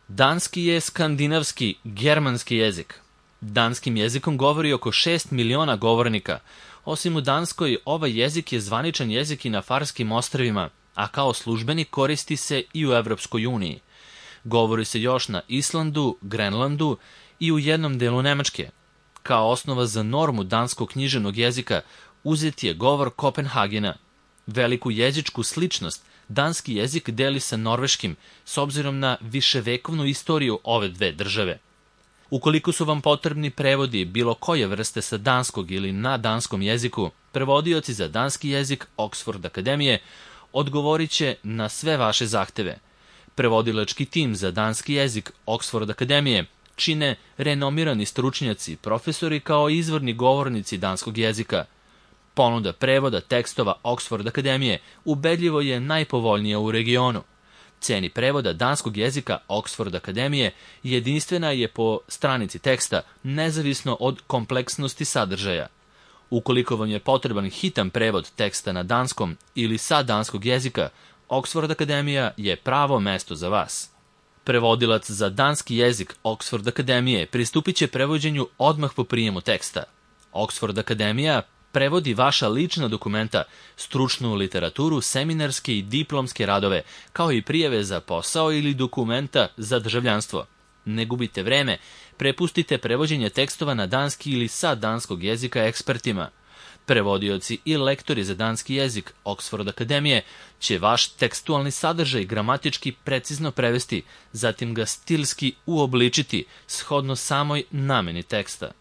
Danski je skandinavski, germanski jezik. Danskim jezikom govori oko 6 miliona govornika. Osim u Danskoj, ovaj jezik je zvaničan jezik i na Farskim ostrvima, a kao službeni koristi se i u Evropskoj uniji. Govori se još na Islandu, Grenlandu i u jednom delu Nemačke. Kao osnova za normu danskog književnog jezika uzet je govor Kopenhagena. Veliku jezičku sličnost danski jezik deli sa norveškim, s obzirom na viševekovnu istoriju ove dve države. Ukoliko su vam potrebni prevodi bilo koje vrste sa danskog ili na danskom jeziku, prevodioci za danski jezik Oxford Akademije odgovorit će na sve vaše zahteve. Prevodilački tim za danski jezik Oxford Akademije čine renomirani stručnjaci, profesori kao izvorni govornici danskog jezika. Ponuda prevoda tekstova Oxford Akademije ubedljivo je najpovoljnija u regionu. Ceni prevoda danskog jezika Oxford Akademije jedinstvena je po stranici teksta, nezavisno od kompleksnosti sadržaja. Ukoliko vam je potreban hitan prevod teksta na danskom ili sa danskog jezika, Oxford Akademija je pravo mesto za vas. Prevodilac za danski jezik Oxford Akademije pristupit će prevođenju odmah po prijemu teksta. Oxford Akademija prevodi vaša lična dokumenta, stručnu literaturu, seminarske i diplomske radove, kao i prijave za posao ili dokumenta za državljanstvo. Ne gubite vreme, prepustite prevođenje tekstova na danski ili sa danskog jezika ekspertima. Prevodioci i lektori za danski jezik Oxford Akademije će vaš tekstualni sadržaj gramatički precizno prevesti, zatim ga stilski uobličiti shodno samoj nameni teksta.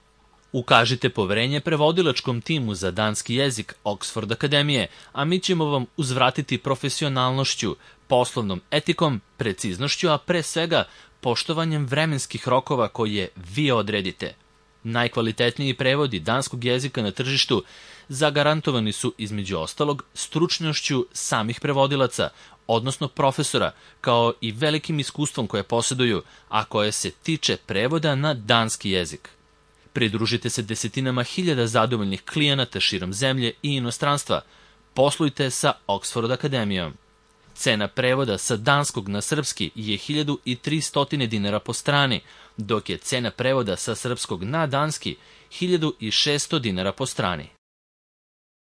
Ukažite poverenje prevodilačkom timu za danski jezik Oxford Akademije, a mi ćemo vam uzvratiti profesionalnošću, poslovnom etikom, preciznošću, a pre svega poštovanjem vremenskih rokova koje vi odredite. Najkvalitetniji prevodi danskog jezika na tržištu zagarantovani su između ostalog stručnošću samih prevodilaca, odnosno profesora, kao i velikim iskustvom koje posjeduju, a koje se tiče prevoda na danski jezik. Pridružite se desetinama hiljada zadovoljnih klijenata širom zemlje i inostranstva. Poslujte sa Oxford Akademijom. Cena prevoda sa danskog na srpski je 1300 dinara po strani, dok je cena prevoda sa srpskog na danski 1600 dinara po strani.